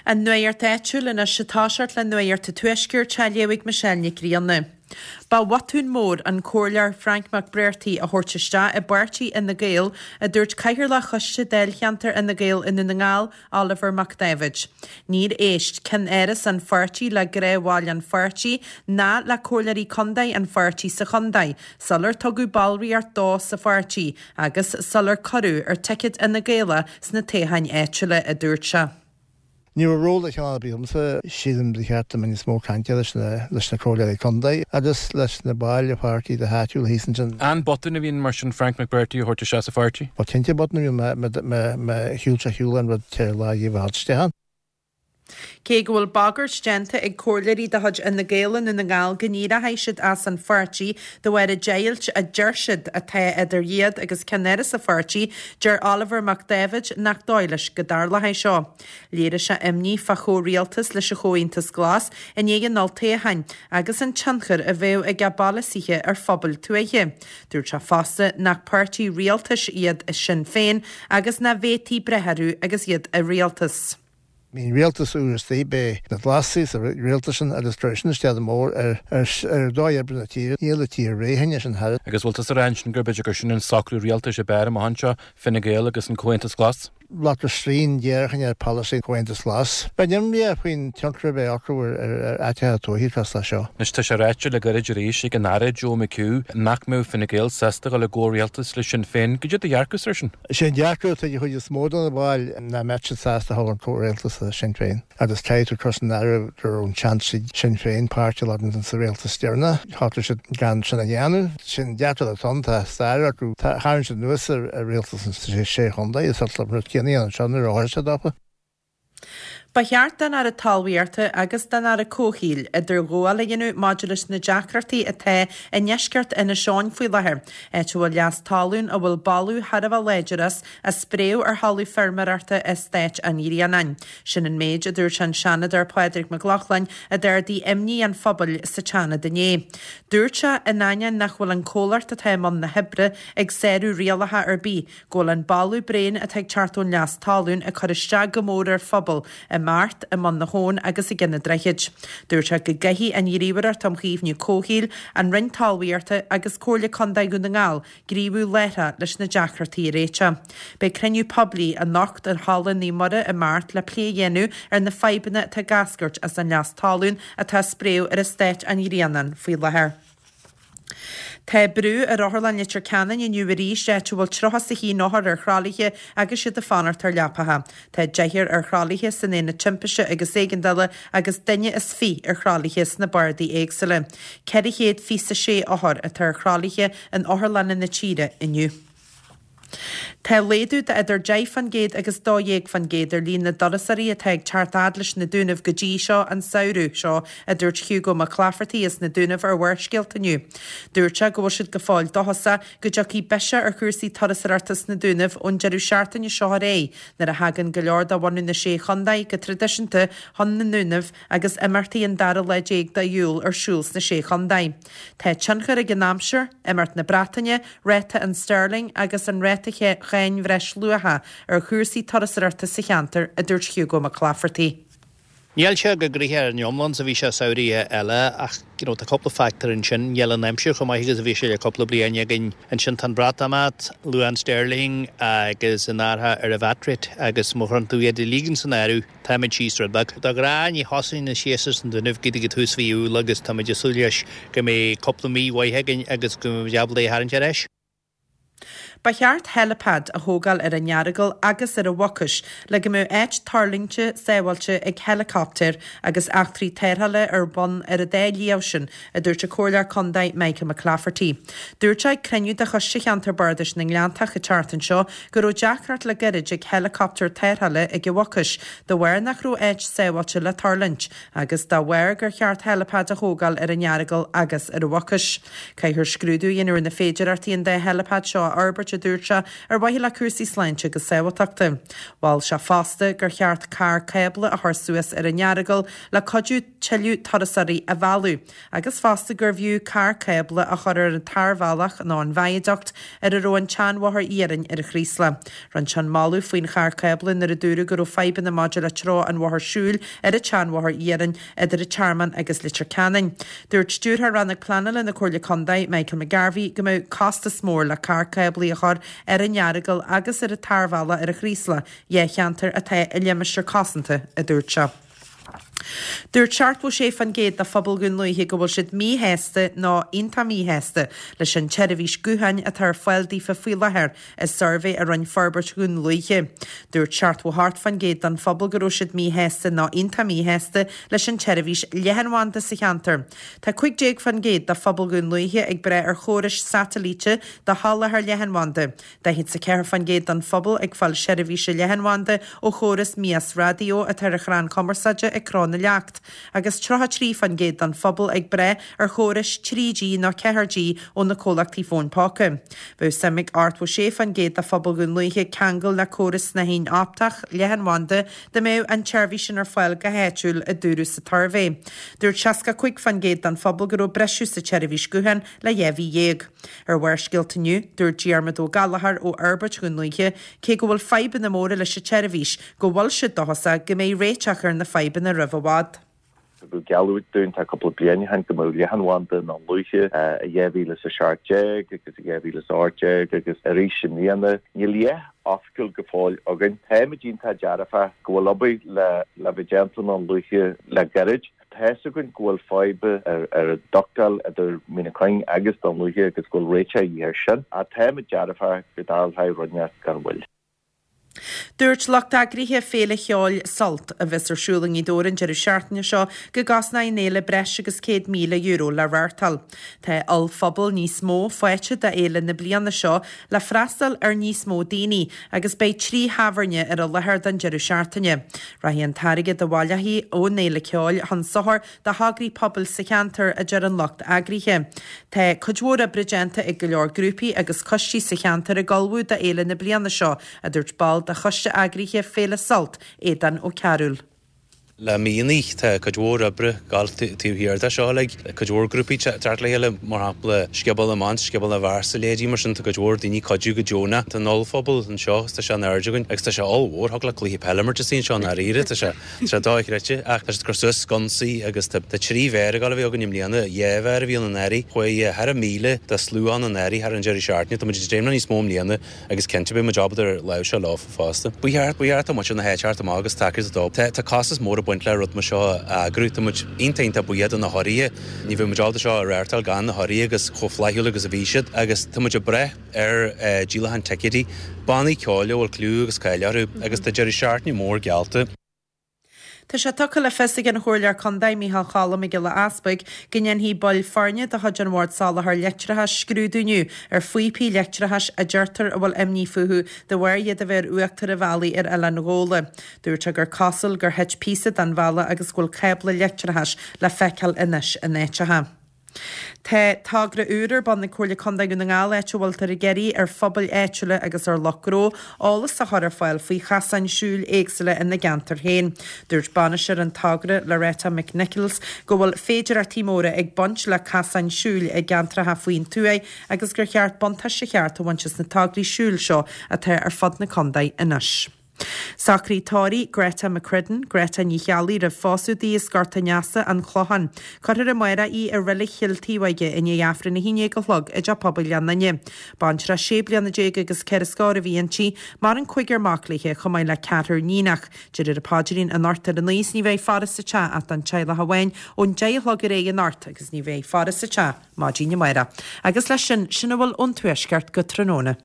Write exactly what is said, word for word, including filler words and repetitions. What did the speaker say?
An nuacht áitiúil anois ag toiseacht le Nuacht an Tuaiscirt á léamh ag Michelle Nic Grianna. Ba bhotún mór an comhairleoir Frank McBrearty a thabhairt isteach i bpáirtí Fhine Gael, a dúirt Cathaoirleach Choiste Dáilcheantair Fhine Gael i nDún na nGall, Oliver Mac Daibhéid. Níor éist ceannáras an pháirtí le gnáthbhaill an pháirtí ná le comhairleoirí contae an pháirtí sa chontae sular tugadh ballraíocht dó sa pháirtí agus sular cuireadh ar ticéad Fhine Gael é sna toghcháin áitiúla, a dúirt sé. Ní raibh ról de chineál ar bith agamsa, sílim ba cheart dom níos mó cainte leis na leis na comhairleoirí contae agus leis na baill an pháirtí go háitiúil thíos ansin. An botún a bhí ann mar sin Frank McBrearty a thabhairt isteach sa pháirtí? Ba cinnte botún a bhí ann má shiúil sé shiúl an rud ceithre lá dhíobh a thabhairt isteach ann. Cé go bhfuil bagairt déanta ag comhairleoirí de chuid Fhine Gael i nDún na nGall go n-éireoidh siad as an pháirtí de bharr an deighilt a deir siad atá idir iad agus ceannáras an pháirtí, deir Oliver Mac Dáibhéid nach dóigh leis go dtarlóidh seo. Léirigh sé imní fá chomhrialtas leis an Chomhaontas Glas i ndiaidh an olltoghcháin agus an tionchar a bheadh ag a bpolasaithe ar phobail tuaithe. Dúirt sé fosta nach páirtí rialtais iad Sinn Féin agus nach bhféadfaí breith orthu agus iad i rialtas. Bhí rialtas úr istigh, b'é na Glasaigh sa rialtas sin agus chuir sin isteach go mór ar ar dhóigh oibre na tíre. Níl an tír réidh anois an thar. Agus bhfuil tusa ag rá ansin gur b'fhéidir gur sin an socrú rialtais ab fhearr amach anseo, Fine Gael agus an Comhaontas Glas? Glactar srian déarfainn ar pholasaí Chomhaontas Glas. Bheinn imníoch faoin tionchar a bheidh acu ar áiteacha tuaithe cosúil leis seo. Anois tá sé ráite le gairid arís ag an Aire Joe McHugh nach mbeadh Fine Gael sásta dul i gcomhrialtas le Sinn Féin. Goidé do dhearcadh air sin? Is é an dearcadh atá ag an chuid is mó de na baill nach mbeadh siad sásta a dhul in comhrialtas le Sinn Féin agus caithfidh tú cur san áireamh go raibh an seans ag Sinn Féin páirt a ghlacadh sa rialtas deireanach. Shocraigh siad gan sin a dhéanamh. Sin dearcadh atá ann, tá stair acu, tharraing siad anuas ar rialtas na Sé Chontae is an rud céanna anseo nuair a tharla sé dófa. Ba cheart don Aire Talmhaíochta agus don Aire Comhshaoil idirghabháil a dhéanamh maidir leis na deacrachtaí atá i ndeisceart Inis Eoghain faoi láthair, áit a bhfuil leas talún a bhfuil boladh thar a bheith láidir as á spréadh ar thalamh feirmeoireachta Eastát an Ghrianáin. Sin an méid a dúirt an Seanadóir Pádraig Mac Lochlainn a d'ardaigh imní an phobail sa tSeanad inné. Dúirt sé, in ainneoin nach bhfuil an comhlacht atá i mbun na hoibre ag sárú rialacha ar bith, go bhfuil an boladh bréan atá ag teacht ón leas talún ag cur isteach go mór ar phobal i mBeart, i mBun na hAbhann agus i gCionn an Droichid. Dúirt sé go gcaithfidh an Ghníomhaireacht um Chaomhnú Comhshaoil, an Roinn Talmhaíochta agus Comhairle Contae Dhún na nGall gníomhú láithreach leis na deacrachtaí a réiteach. Beidh cruinniú poiblí anocht i Halla Naomh Muire i mBeart le plé a dhéanamh ar na fadhbanna atá ag eascairt as an leas talún atá á spréadh ar Eastát an Ghrianáin faoi láthair. Tá brú ar Otharlann Leitir Ceanainn inniu arís, áit a bhfuil tríocha is a haon othar ar thralaithe agus iad ag fanacht ar leapacha. Tá deichniúr ar thralaithe san Aonad Timpiste agus Éigeandála agus duine is fiche ar thralaithe sna bardaí éagsúla. Ceithre chéad fiche is a sé othar atá ar thralaithe in otharlanna na tíre inniu. Tá laghdú de idir deich faoin gcéad agus dó dhéag faoin gcéad ar líon na dturasóirí atá ag teacht fhad leis na Dúnaibh go dtí seo an samhradh seo, a dúirt Hugo Mac Laifeartaigh as na Dúnaibh ar Bharrscéalta inniu. Dúirt sé go bhfuil siad go fóill dóchasach go dtiocfaidh biseach ar chúrsaí turasóireachta sna Dúnaibh ón deireadh seachtaine seo ar aghaidh nuair a thagann go leor de bhunadh na Sé Chontae go traidisiúnta chun na nDúnaibh agus imeachtaí an dara lá déag de Iúil ar siúl sna Sé Chontae. Tá tionchar ag an aimsir, imeacht na Breataine, ráta an sterling agus an ráta cháin bhreisluacha ar chúrsaí turasóireachta sa cheantar, a dúirt Hugo Mac Laifeartaigh. Níl sé go gnoitheach ar an iomlán 's a bhí sé samhraithe eile ach you know tá cúpla factor ansin, níl an aimsir chomh maith agus a bhí sé le cúpla bliain againn ansin tá an Breatimeacht, luach an sterling agus an athrú ar an VAT rate agus má chuireann tú iad uilig san áireamh táimid síos rud beag. De ghnáth ní thosaíonn an séasúr sna Dúnaibh go dtí tús mhí Iúil agus táimid ag súil leis go mbeidh cúpla mí mhaith againn agus go mbeidh muid ábalta é a tharraingt ar ais. Ba cheart helipad a thógáil ar an Earagail agus ar an Mhucais le go mbeadh áit tuirlingte sábháilte ag heileacaptair agus eachtraí tarrthála ar bun ar an dá shliabh sin, a dúirt an Comhairleoir Contae Michael McClafferty. Dúirt sé ag cruinniú de Choiste Cheantar Bardais na nGleanntach an tseachtain seo go raibh deacracht le gairid ag heileacaptair tarrthála ag an Mhucais de bharr nach raibh áit sábháilte le tuirlingt agus dá bharr gur cheart helipad a thógáil ar an Earagail agus ar an Mhucais. Caithfear scrúdú a dhéanamh ar na féidearthachtaí an dá helipad seo a fhorbairt a dúirt sé, ar mhaithe le cúrsaí sláinte agus sábháilteachta. Mhol sé fosta gur cheart carr cábla a chur suas ar an Earagail le cuidiú tuilleadh turasóirí a mhealladh, agus fosta gurbh fhiú carr cábla a chur ar an tarbhealach nó an viaduct ar a raibh an tseanbhóthar iarainn ar an Chraoslach. Rinne sé an moladh faoin charr cábla nuair a dúradh go raibh fadhbanna maidir le treo an bhóthair siúil ar an tseanbhóthar iarainn idir an Tearmann agus Leitir Ceanainn. Dúirt Stiúrthóir Rannóg Pleanála na Comhairle Contae, Michael McGarvey, go mbeadh costas mór le carr cáblaí a chur ar an Earagail agus ar an tarbhealach ar an Chraoslach, dhá cheantar atá i limistéar cosanta, a dúirt sé. Dúirt seachtó sé faoin gcéad de phobal Dhún Lúiche go bhfuil siad míshásta nó iontach míshásta leis an tseirbhís gutháin atá ar fáil daofa faoi láthair i suirbhé a rinne Forbairt Dhún Lúiche. Dúirt seachtó hocht faoin gcéad den phobal go raibh siad míshásta nó iontach míshásta leis an tseirbhís leathanbhanda sa cheantar. Tá cúig déag faoin gcéad de phobal Dhún Lúiche ag brath ar chórais satailíte do sholáthar leathanbhanda. Daichead is a ceathair faoin gcéad den phobal ag fáil seirbhíse leathanbhanda ó chóras mias raidió atá ar chrann cumarsáide ag Cró na Leacht, agus tríocha trí faoin gcéad den phobal ag brath ar chórais trí G nó ceathair G ó na comhlachtaí fóin póca. Bheadh suim ag ochtó sé faoin gcéad de phobal Dhún Lúiche ceangal le córas snáithín optach leathanbhanda dá mbeadh an tseirbhís sin ar fáil go háitiúil, a dúradh sa tsuirbhé. Dúirt seasca cúig faoin gcéad den phobal go raibh briseadh sa tseirbhís gutháin le dhá mhí dhéag. Ar Bharrscéalta inniu, dúirt Diarmuid Ó Gallchóir ó Fhorbairt Dhún Lúiche, cé go bhfuil fadhbanna móra leis an tseirbhís, go bhfuil siad dóchasach go mbeidh réiteach ar na fadhbanna roimh i bhfad. Tugadh geallúint dúinn tá cúpla bliain ó shin go mbeadh leathanbhanda i nDún Lúiche i dhá mhíle is a seacht déag agus i dhá mhíle is a hocht déag agus arís i mbliana. Níl a dhath oifigiúil go fóill againn. Táimid iontach dearfach go bhfuil obair le le bheith déanta i nDún Lúiche le gairid. Tá fhios againn go bhfuil fadhb ar ar an ductáil idir Mín an Chuing agus Dún Lúiche agus go bhfuil réiteach a dhíth air sin. Ach táimid dearfach go dtarlóidh rud inteacht gan mhoill. Dúirt lucht eagraithe Féile Cheoil Sult, a bheas ar siúl i nGaoth Dobhair an deireadh seachtaine seo, go gcosnóidh an fhéile breis agus céad míle euro le reáchtáil. Tá ollphuball níos mó faighte d'fhéile na bliana seo le freastal ar níos mó daoine agus beidh trí thábhairne ar an láthair don deireadh seachtaine. Rachaidh an t-airgead a bhaileofaí ón fhéile ceoil chun sochair do thograí pobail sa cheantar, a deir an lucht eagraithe. Tá cuid mhór oibre déanta ag go leor grúpaí agus coistí sa cheantar ag ullmhú d'fhéile na bliana seo, a dúirt ball de choiste eagraithe Féile Sult, Aodán Ó Cearúil. Le míonna tá cuid mhór oibre ag gabháil taobh thiar de seo uilig, cuid mhór grúpaí teacht le chéile, mar shampla Scioból na mBan, Scioból na bhFear 's a leithéidí mar sin, tá cuid mhór daoine ag cuidiú go deonach. Tá an ollphuball anseo agus tá sé in airde againn agus tá sé ollmhór, thig le cluiche peile imirt istigh anseo i ndáiríre, tá sé tá sé dochreidte ach tá siad ag cur suas sconsaí agus tá tá trí bheár ag dul a bheith againn i mbliana, dhá bheár a bhí ann anuraidh, chuaigh thar a míle de slua ann anuraidh thar an deireadh seachtaine, tá muid ag dréim le níos mó i mbliana agus cinnte beidh muid ábalta ar láimhseáil leo fosta. Ba cheart, ba cheart do muintir na háite teacht amach agus tacaíocht a dó. Tá, tá costas mór ag baint le rud mar seo a eagrú. Tá muid iontach, iontach buíoch do na hurraithe. Ní bheadh muid ábalta seo a reáchtáil gan na hurraithe agus chomh flaithiúil agus a bhí siad. Agus tá muid ag brath ar díolachán ticéidí, bannaí ceoil a bhfuil clú agus cáil orthu agus tá deireadh seachtaine mór geallta. Tá sé tugtha le fios ag an Chomhairleoir Contae, Micheál Choilm Mac Giolla Easpaig, go ndéanfaidh baill foirne de chuid an Bhoird Soláthair Leictreachais scrúdú inniu ar phíopaí leictreachais a deirtear a bhfuil imní fúthu de bharr iad a bheith ar uachtar an bhealaigh ar Oileán Ghabhla. Dúirt sé gur cosúil gur thit píosa den bhalla agus go bhfuil cábla leictreachais le feiceáil anois in áiteacha. Tá togra úr ar bun ag Comhairle Contae Dhún na nGall áit a bhfuiltear ag iarraidh ar phobail áitiúla agus ar lucht gnó eolas a chur ar fáil faoi chasáin siúil éagsúla ina gceantar féin. Dúirt bainisteoir an togra, Loretta McNichols, go bhfuil féidearthachtaí móra ag baint le casáin siúil i gceantracha faoin tuath agus gur cheart buntáiste cheart a bhaint as na tograí siúil seo atá ar fud na contae anois. Socraíodh tórraimh Greta McCredden, Greta Ní Cheallaigh roimh phósadh di as Gort an Easa, An Clochán. Cuirfear amárach í i Reilig Chill Taobhóige i ndiaidh Aifreann a haon déag a chlog i dTeach Pobail Ghleann Fhinne. Baintreach sé bliana déag agus ceithre scór a bhí inti, maireann cúigear mac léi chomh maith le ceathrar níonach. Déarfar an paidrín anocht ar a naoi is ní bheidh faire sa teach ach don teaghlach amháin ón deich a chlog ar aghaidh anocht agus ní bheidh faire sa teach maidin amárach. Agus leis sin, sin a bhfuil ón Tuaisceart go tráthnóna.